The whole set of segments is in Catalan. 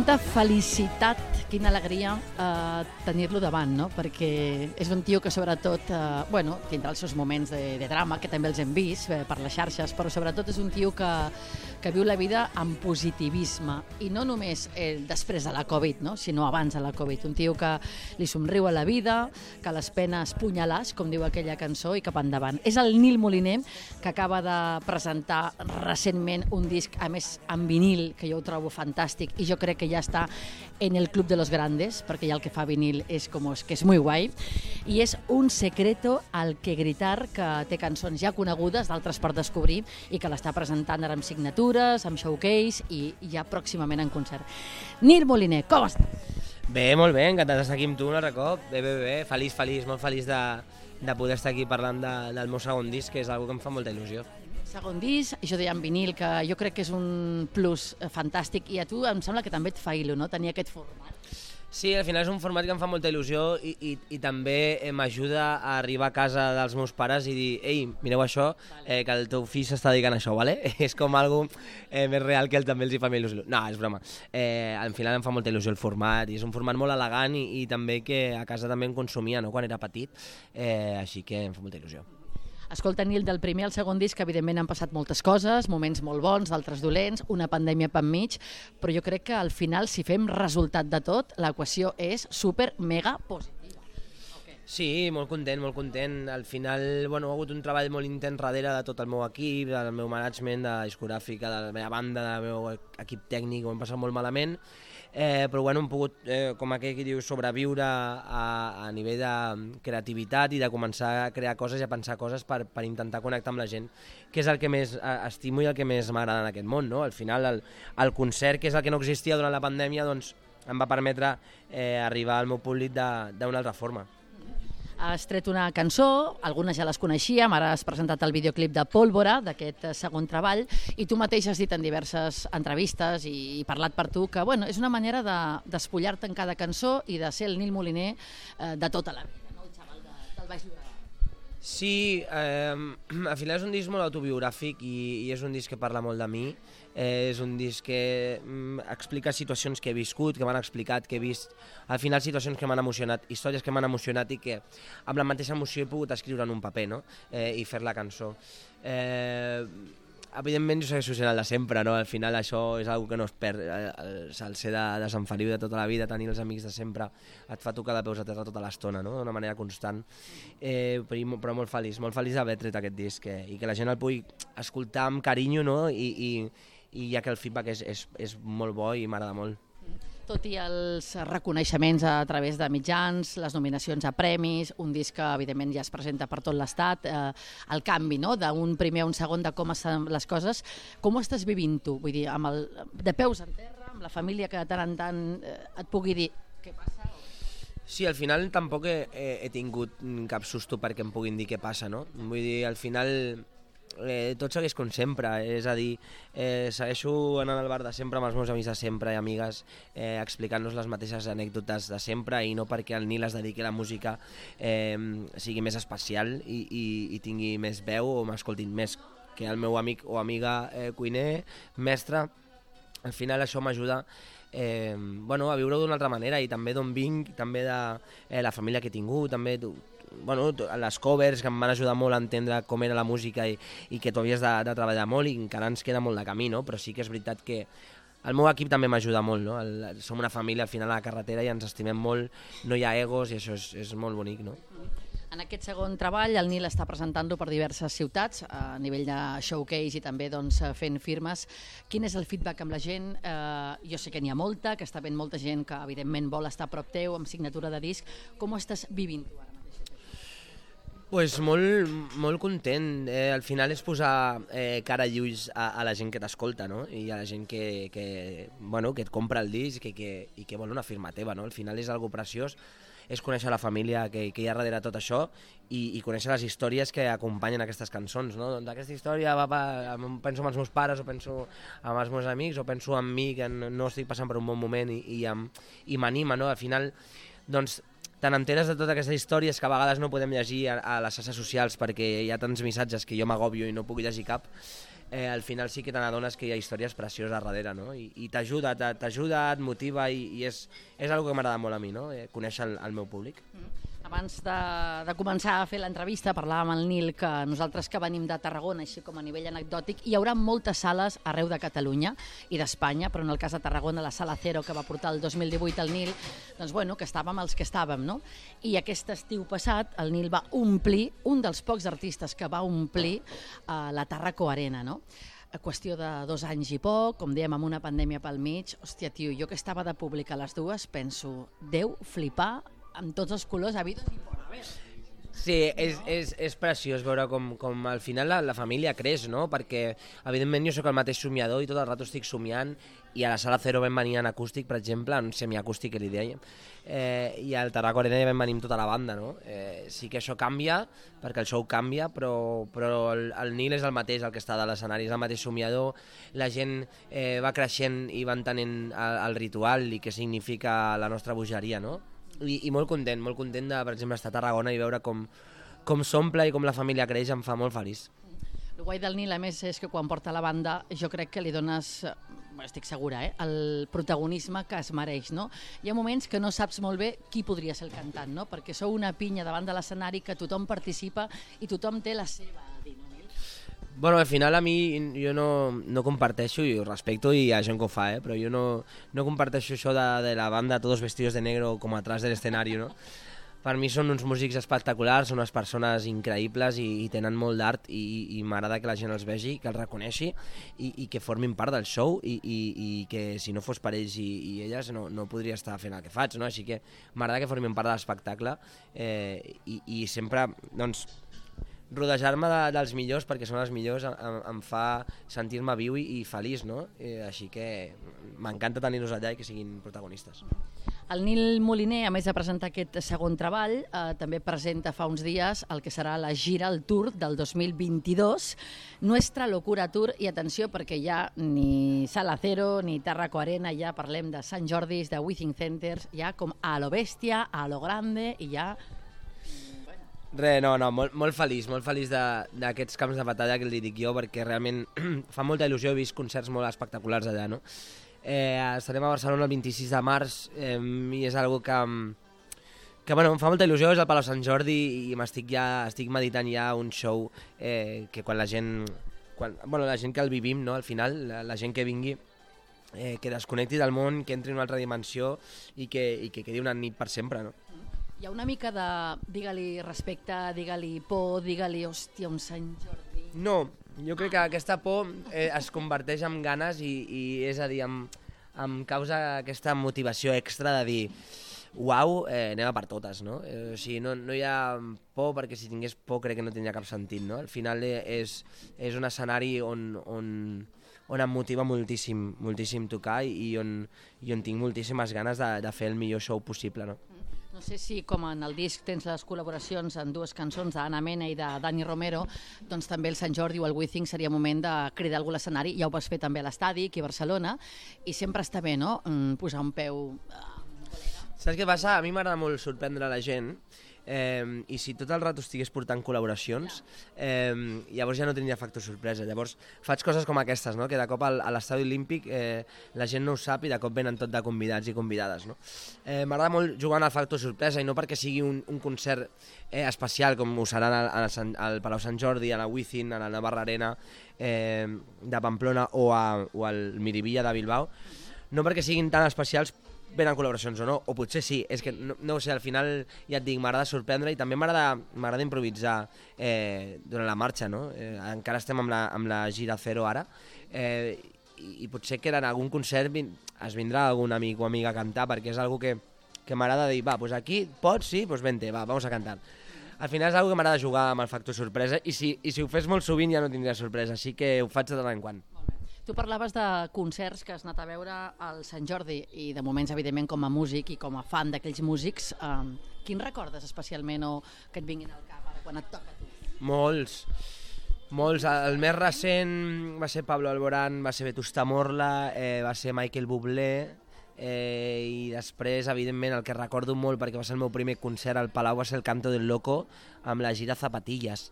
quanta felicitat, quina alegria tenir-lo davant, no? Perquè és un tio que sobretot, tindrà els seus moments de drama, que també els hem vist per les xarxes, però sobretot és un tio que viu la vida amb positivisme, i no només després de la Covid, no? Sinó abans de la Covid. Un tio que li somriu a la vida, que les penes punyalàs, com diu aquella cançó, i cap endavant. És el Nil Moliner, que acaba de presentar recentment un disc, a més en vinil, que jo ho trobo fantàstic, i jo crec que ja està en el club de los grandes, perquè ja el que fa vinil és que és muy guai, i és Un secreto al que gritar, que té cançons ja conegudes, d'altres per descobrir, i que l'està presentant ara amb signatures, amb showcase i ja pròximament en concert. Nil Moliner, com estàs? Bé, molt bé, encantat d'estar aquí amb tu un altre cop. Bé, feliç, molt feliç de poder estar aquí parlant del meu segon disc, que és una que em fa molta il·lusió. Segon disc, jo deia en vinil, que jo crec que és un plus fantàstic, i a tu em sembla que també et fa il·lu, no?, tenir aquest format. Sí, al final és un format que em fa molta il·lusió i també m'ajuda a arribar a casa dels meus pares i dir: ei, mireu això, que el teu fill s'està dedicant a això, ¿vale? És com algo més real que també els hi fa més il·lusió. No, és broma. Al final em fa molta il·lusió el format, i és un format molt elegant i també que a casa també em consumia, no?, quan era petit, així que em fa molta il·lusió. Escolta, Nil, del primer al segon disc, evidentment han passat moltes coses, moments molt bons, d'altres dolents, una pandèmia per mig, però jo crec que al final, si fem resultat de tot, l'equació és super mega positiva. Sí, molt content. Al final, ha hagut un treball molt intens darrere de tot el meu equip, del meu management, de la discogràfica, de la meva banda, del meu equip tècnic, ho hem passat molt malament, però hem pogut, com aquell que diu, sobreviure a nivell de creativitat i de començar a crear coses i a pensar coses per intentar connectar amb la gent, que és el que més estimo i el que més m'agrada en aquest món, no? Al final, el concert, que és el que no existia durant la pandèmia, doncs em va permetre arribar al meu públic d'una altra forma. Has tret una cançó, algunes ja les coneixíem, ara has presentat el videoclip de Pólvora, d'aquest segon treball, i tu mateix has dit en diverses entrevistes i parlat per tu que és una manera d'espullar-te en cada cançó i de ser el Nil Moliner de tota la vida, no? El xaval del Baix Llobregat. Sí, al final és un disc molt autobiogràfic i és un disc que parla molt de mi. És un disc que explica situacions que he viscut, que m'han explicat, que he vist, al final situacions que m'han emocionat, històries que m'han emocionat i que amb la mateixa emoció he pogut escriure en un paper, no? I fer la cançó. Evidentment jo segueixo sent el de sempre, no? Al final això és una que no es perd, el ser de Sant Feliu de tota la vida, tenir els amics de sempre, et fa tocar de peus a terra tota l'estona, no? D'una manera constant, però molt feliç d'haver tret aquest disc i que la gent el pugui escoltar amb carinyo, no? I ja que el feedback és molt bo i m'agrada molt. Tot i els reconeixements a través de mitjans, les nominacions a premis, un disc que evidentment ja es presenta per tot l'estat, el canvi, no?, d'un primer a un segon, de com estan les coses, com ho estàs vivint tu? Vull dir, de peus en terra, amb la família que de tant en tant et pugui dir què passa? Sí, al final tampoc he tingut cap susto perquè em puguin dir què passa, no? Vull dir, al final tot segueix com sempre, és a dir, segueixo anant al bar de sempre amb els meus amics de sempre i amigues, explicant-nos les mateixes anècdotes de sempre, i no perquè el Nil es dediqui a la música sigui més especial i tingui més veu o m'escoltin més que el meu amic o amiga cuiner, mestre. Al final això m'ajuda a viure-ho d'una altra manera, i també d'on vinc, també de la família que he tingut, també les covers que em van ajudar molt a entendre com era la música i que tu havies de treballar molt, i encara ens queda molt de camí, no? Però sí que és veritat que el meu equip també m'ajuda molt, no? Som una família al final a la carretera i ens estimem molt, no hi ha egos, i això és molt bonic, no? En aquest segon treball el Nil està presentant-lo per diverses ciutats a nivell de showcase i també fent firmes. Quin és el feedback amb la gent? Jo sé que n'hi ha molta, que està ben molta gent que evidentment vol estar a prop teu amb signatura de disc. Com ho estàs vivint tu ara? Pues molt content. Al final és posar cara i ulls a la gent que t'escolta, no? I a la gent que et compra el disc i que vol una firma teva, no? Al final és algo preciós, és conèixer la família que hi ha darrere tot això i conèixer les històries que acompanyen aquestes cançons, no? Doncs aquesta història penso en els meus pares, o penso en els meus amics, o penso en mi, que no estic passant per un bon moment i m'anima, no? Al final, doncs, te n'enteres de totes aquestes històries que a vegades no podem llegir a les xarxes socials perquè hi ha tants missatges que jo m'agòbio i no puc llegir cap. al final sí que te n'adones que hi ha històries precioses darrere, no? I t'ajuda, et motiva i és una que m'agrada molt a mi, no? Conèixer el meu públic. Abans de començar a fer l'entrevista parlàvem amb el Nil que nosaltres que venim de Tarragona, així com a nivell anecdòtic, hi haurà moltes sales arreu de Catalunya i d'Espanya, però en el cas de Tarragona la Sala Cero que va portar el 2018 el Nil, doncs bueno, que estàvem els que estàvem, no? I aquest estiu passat el Nil va omplir, un dels pocs artistes que va omplir la Tarraco Arena, no? A qüestió de 2 anys i poc, com dèiem, amb una pandèmia pel mig, hòstia, tio, jo que estava de públic a les dues, penso, deu flipar amb tots els colors habidos i por haver. Sí, és preciós veure com al final la família creix, no? Perquè, evidentment, jo sóc el mateix somiador i tot el rato estic somiant, i a la Sala Cero vam venir en acústic, per exemple, en semiacústic que li dèiem, i al Tarraco Arena ja vam venir amb tota la banda, no? Sí que això canvia, perquè el show canvia, però el Nil és el mateix, el que està de l'escenari, és el mateix somiador, la gent va creixent i va entenent el ritual i què significa la nostra bogeria, no? I molt content de, per exemple, estar a Tarragona i veure com s'omple i com la família creix, em fa molt feliç. El guai del Nil, a més, és que quan porta la banda jo crec que li dones, estic segura, el protagonisme que es mereix, no? Hi ha moments que no saps molt bé qui podria ser el cantant, no? Perquè sou una pinya davant de l'escenari que tothom participa i tothom té la seva a dir, no? Bueno, al final a mi jo no comparteixo, i ho respecto i hi ha gent que ho fa, però jo no comparteixo això de la banda todos vestidos de negro com atrás del escenari, no? Per mi són uns músics espectaculars, són unes persones increïbles i tenen molt d'art i m'agrada que la gent els vegi, que els reconeixi i que formin part del show i que si no fos per ells i elles no podria estar fent el que faig, no? Així que m'agrada que formin part de l'espectacle i sempre, doncs, rodejar-me dels millors, perquè són els millors, em fa sentir-me viu i feliç, no? Així que m'encanta tenir-los allà i que siguin protagonistes. El Nil Moliner, a més de presentar aquest segon treball, també presenta fa uns dies el que serà la gira, el tour del 2022, Nuestra Locura Tour, i atenció perquè ja ni Sala Cero ni Tarraco Arena, ja parlem de Sant Jordis, de Withing Centers, ja com a lo bèstia, a lo grande, i ja... Molt feliç d'aquests camps de batalla que li dic jo, perquè realment fa molta il·lusió, he vist concerts molt espectaculars allà, no? Estarem a Barcelona el 26 de març i és algo que bueno, em fa molta il·lusió, és el Palau Sant Jordi i estic meditant ja un show que quan la gent que el vivim, no? Al final, la gent que vingui, que desconnecti del món, que entri en una altra dimensió i que quedi una nit per sempre, no? Hi ha una mica de, digue-li respecte, digue-li por, digue-li, hòstia, un Sant Jordi... No, jo crec que aquesta por es converteix en ganes i és a dir, em causa aquesta motivació extra de dir uau, anem a per totes, no? O sigui, no hi ha por, perquè si tingués por crec que no tindria cap sentit, no? Al final és un escenari on em motiva moltíssim tocar i on tinc moltíssimes ganes de fer el millor show possible, no? No sé si, com en el disc tens les col·laboracions en 2 cançons d'Anna Mena i de Dani Romero, doncs també el Sant Jordi o el Withing seria moment de cridar algú a l'escenari. Ja ho vas fer també a l'estadi, aquí a Barcelona, i sempre està bé, no?, posar un peu... Saps què passa? A mi m'agrada molt sorprendre la gent, i si tot el rato estigués portant col·laboracions, llavors ja no tindria factor sorpresa. Llavors faig coses com aquestes, no? Que de cop a l'estadi olímpic la gent no ho sap i de cop venen tot de convidats i convidades, no? M'agrada molt jugar al factor sorpresa i no perquè sigui un concert especial com ho serà al Palau Sant Jordi, a la Withing, a la Navarra Arena de Pamplona o al Miribilla de Bilbao, no perquè siguin tan especials venen col·laboracions o no, o potser sí, és que no ho sé, al final ja et dic, m'agrada sorprendre i també m'agrada improvisar durant la marxa, no? Encara estem amb la gira Cero ara, i potser que en algun concert es vindrà algun amic o amiga a cantar, perquè és algo que m'agrada dir, va, doncs aquí pots, sí, doncs vente, va, vamos a cantar. Al final és algo que m'agrada jugar amb el factor sorpresa i si ho fes molt sovint ja no tindria sorpresa, així que ho faig de tant en quant. Tu parlaves de concerts que has anat a veure al Sant Jordi i de moments, evidentment, com a músic i com a fan d'aquells músics. Quins recordes especialment o que et vinguin al cap ara quan et toca a tu? Molts. El més recent va ser Pablo Alborán, va ser Vetusta Morla, va ser Michael Bublé, i després, evidentment, el que recordo molt perquè va ser el meu primer concert al Palau va ser el Canto del Loco amb la gira Zapatillas.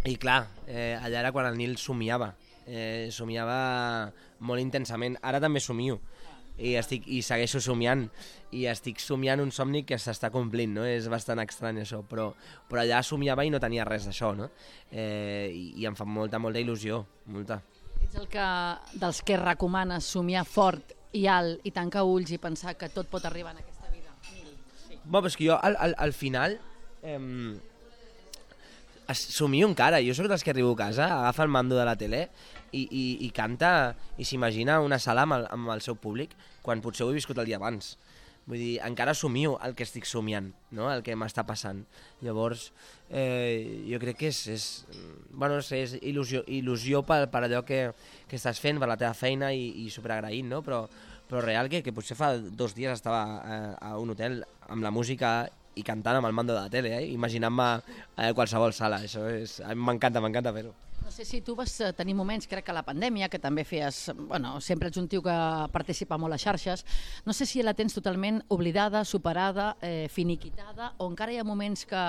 I clar, allà era quan el Nil somiava, somiava molt intensament. Ara també somio, i segueixo somiant, i estic somiant un somni que s'està complint, no? És bastant estrany això, però allà somiava i no tenia res d'això, no? I em fa molta il·lusió, molta. Ets dels que recomanes somiar fort i alt i tancar ulls i pensar que tot pot arribar en aquesta vida? Sí. Bé, però és que jo al final somio encara. Jo sóc dels que arribo a casa, agafa el mando de la tele i canta i s'imagina una sala amb el seu públic quan potser ho he viscut el dia abans. Vull dir, encara somio el que estic somiant, no? El que m'està passant. Llavors, jo crec que és il·lusió per allò que estàs fent, per la teva feina i superagraït, no? Però real que potser fa 2 dies estava a un hotel amb la música i cantant amb el mando de la tele, imaginant-me a qualsevol sala. Això a mi m'encanta fer-ho. No sé si tu vas tenir moments, crec que a la pandèmia, que també feies, sempre ets un tio que participa molt a xarxes, no sé si la tens totalment oblidada, superada, finiquitada, o encara hi ha moments que,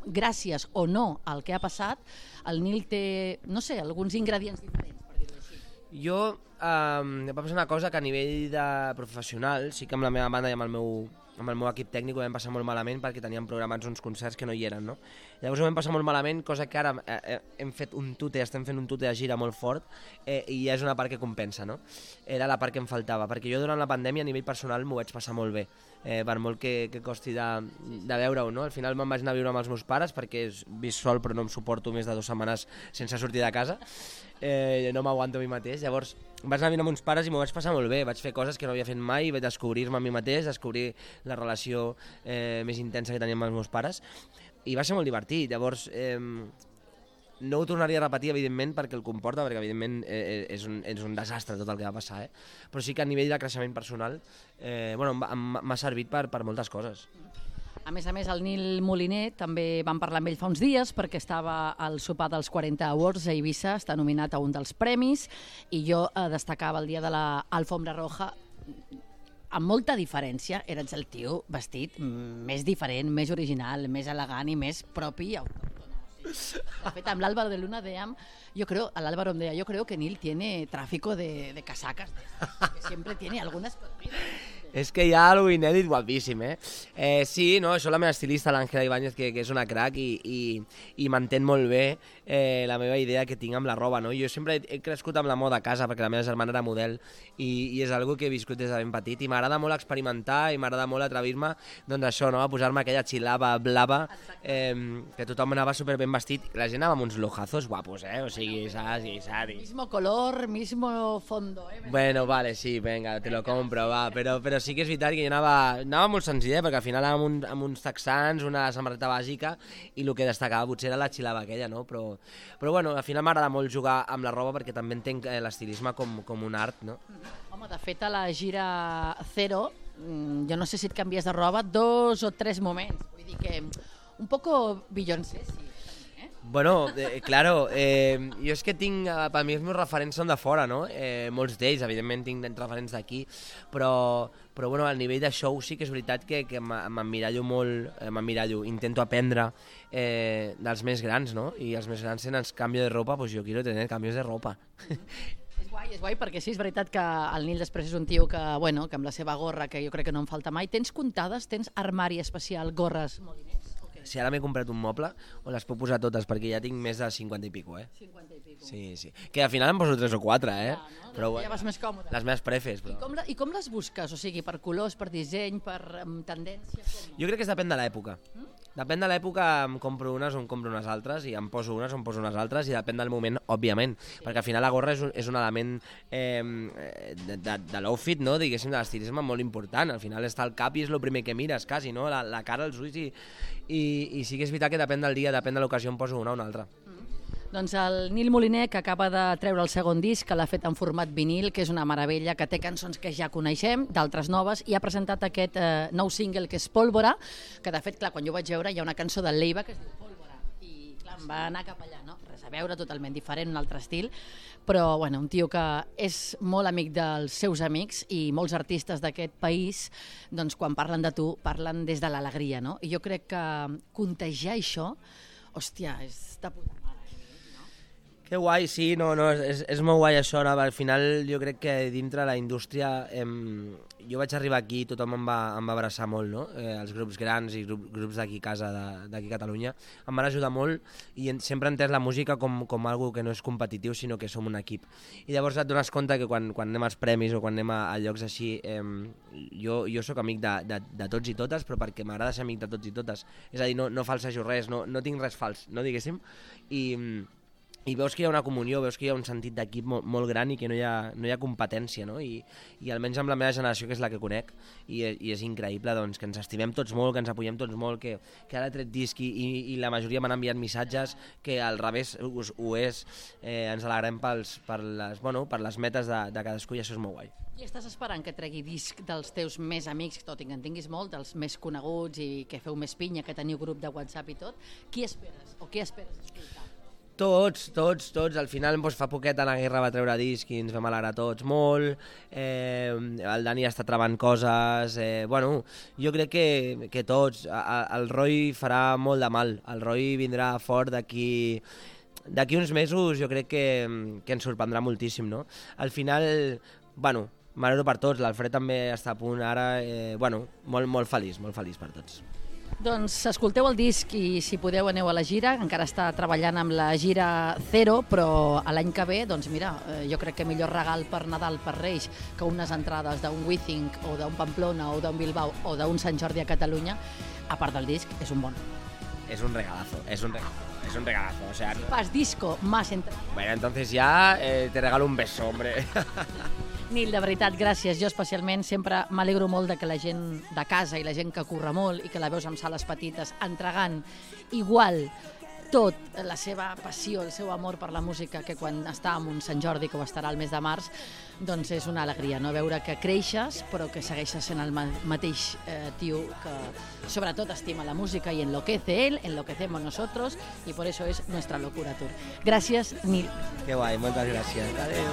gràcies o no al que ha passat, el Nil té, no sé, alguns ingredients diferents, per dir-ho així. Jo, va passar una cosa que a nivell de professional, sí que amb la meva banda i amb el meu equip tècnic ho vam passar molt malament perquè teníem programats uns concerts que no hi eren, no? Llavors ho vam passar molt malament, cosa que ara estem fent un tute de gira molt fort i és una part que compensa, no? Era la part que em faltava, perquè jo durant la pandèmia a nivell personal m'ho vaig passar molt bé, per molt que costi de veure-ho, no? Al final me'n vaig anar a viure amb els meus pares perquè visc sol però no em suporto més de 2 setmanes sense sortir de casa, no m'aguanto a mi mateix. Llavors vaig anar a viure amb uns pares i m'ho vaig passar molt bé, vaig fer coses que no havia fet mai, vaig descobrir-me a mi mateix, descobrir la relació més intensa que tenia amb els meus pares, i va ser molt divertit. Llavors no ho tornaria a repetir, evidentment, perquè el comporta, perquè evidentment és un desastre tot el que va passar, però sí que a nivell de creixement personal m'ha servit per moltes coses. A més, el Nil Moliner, també vam parlar amb ell fa uns dies perquè estava al sopar dels 40 Awards a Eivissa, està nominat a un dels premis, i jo destacava el dia de l'Alfombra Roja amb molta diferència. Eres el tio vestit més diferent, més original, més elegant i més propi i autòcton. De fet, amb l'Álvaro de Luna dèiem, l'Álvaro em deia, yo creo que Nil tiene tráfico de casacas, que siempre tiene algunas. És que hi ha alguna inèdit guapíssim, sí, no, això la meva estilista, l'Àngela Ibáñez, que és una crac i m'entén molt bé la meva idea que tinc amb la roba, no? Jo sempre he crescut amb la moda a casa perquè la meva germana era model i és algo que he viscut des de ben petit i m'agrada molt experimentar i m'agrada molt atrevir-me, doncs això, no? A posar-me aquella xilava blava, que tothom anava super ben vestit, la gent anava amb uns lojazos guapos, o sigui, saps? Mismo color, mismo fondo, Bueno, vale, sí, venga, te lo compro, va, però sí que és veritat que jo anava molt senzill, perquè al final anava amb uns texans, una samarreta bàsica, i el que destacava potser era la xilava aquella, no? Però bueno, al final m'agrada molt jugar amb la roba perquè també entenc l'estilisme com un art, no? Home, de fet, a la gira Zero, jo no sé si et canvies de roba 2 o 3 moments, vull dir que un poco Beyoncé, sí. Bueno, claro, jo és que tinc, per mi els meus referents són de fora, no? Molts d'ells, evidentment tinc referents d'aquí, però bueno, al nivell de show sí que és veritat que m'emmirallo molt, intento aprendre dels més grans, no? I els més grans tenen canvi de ropa, pues jo quiero tener cambios de ropa. És guai, perquè sí, és veritat que el Nil després és un tio que amb la seva gorra, que jo crec que no em falta mai, tens comptades, tens armari especial, gorres Moliners? Si ara m'he comprat un moble, on les puc posar totes, perquè ja tinc més de 50 i pico, 50 i pico. Sí. Que al final em poso 3 o 4, no? Però bueno, ja vas més còmode. Les meves prefes, però. I com les busques? O sigui, per colors, per disseny, per tendència? Jo crec que depèn de l'època. Depèn de l'època, em compro unes o em compro unes altres, i em poso unes o em poso unes altres, i depèn del moment, òbviament, perquè al final la gorra és un element de l'outfit, no? Diguéssim, de l'estilisme molt important. Al final està al cap i és el primer que mires, quasi, no? La cara, els ulls, i sí que és veritat que depèn del dia, depèn de l'ocasió, em poso una o una altra. Doncs el Nil Moliner, que acaba de treure el segon disc, que l'ha fet en format vinil, que és una meravella, que té cançons que ja coneixem, d'altres noves, i ha presentat aquest nou single que és Pólvora, que de fet, clar, quan jo vaig veure hi ha una cançó de Leiva que es diu Pólvora, i clar, em va anar cap allà, no? Res a veure, totalment diferent, un altre estil, però bueno, un tio que és molt amic dels seus amics, i molts artistes d'aquest país, doncs quan parlen de tu, parlen des de l'alegria, no? I jo crec que contagiar això, hòstia, és de puta mare. Que guai, sí, no, és molt guai això, no? Al final jo crec que dintre la indústria jo vaig arribar aquí, tothom em va abraçar molt, no? Els grups grans i grups d'aquí a casa, d'aquí a Catalunya, em van ajudar molt i sempre he entès la música com algo que no és competitiu, sinó que som un equip. I llavors et dones compte que quan anem als premis o quan anem a llocs així, jo sóc amic de tots i totes, però perquè m'agrada ser amic de tots i totes. És a dir, no falsejo res, no tinc res fals, no diguéssim, i veus que hi ha una comunió, veus que hi ha un sentit d'equip molt gran i que no hi ha competència, no? I almenys amb la meva generació, que és la que conec, i és increïble doncs, que ens estimem tots molt, que ens apoyem tots molt, que ara he tret disc i la majoria m'han enviat missatges, que al revés ho és, ens alegrem per les metes de cadascú i això és molt guai. I estàs esperant que tregui disc dels teus més amics, tot i que en tinguis molt, dels més coneguts i que feu més pinya, que teniu grup de WhatsApp i tot? Qui esperes o què esperes escoltar? Tots. Al final fa poquet la Guerra va treure disc i ens vam alegrar tots molt. El Dani està travant coses. Jo crec que tots. El Roy farà molt de mal. El Roy vindrà fort d'aquí uns mesos, jo crec que ens sorprendrà moltíssim, no? Al final, m'alegro per tots. L'Alfred també està a punt ara. Molt feliç per tots. Doncs escolteu el disc i si podeu aneu a la gira, encara està treballant amb la gira Zero, però a l'any que ve, doncs mira, jo crec que millor regal per Nadal, per Reis, que unes entrades d'un Withing o d'un Pamplona o d'un Bilbao o d'un Sant Jordi a Catalunya, a part del disc, és un bon. Es un regalazo. O sea, si fas disco más entrada. Bueno, entonces ya te regalo un beso, hombre. Nil, de veritat, gràcies. Jo especialment sempre m'alegro molt de que la gent de casa i la gent que curra molt i que la veus en sales petites entregant igual tot, la seva passió, el seu amor per la música, que quan està en un Sant Jordi, que ho estarà el mes de març, doncs és una alegria, no? Veure que creixes però que segueixes sent el mateix tio que sobretot estima la música y enloquece él, enloquecemos nosotros y por eso es nuestra locura tour. Gràcies, Nil. Que guai, moltes gràcies. Adéu.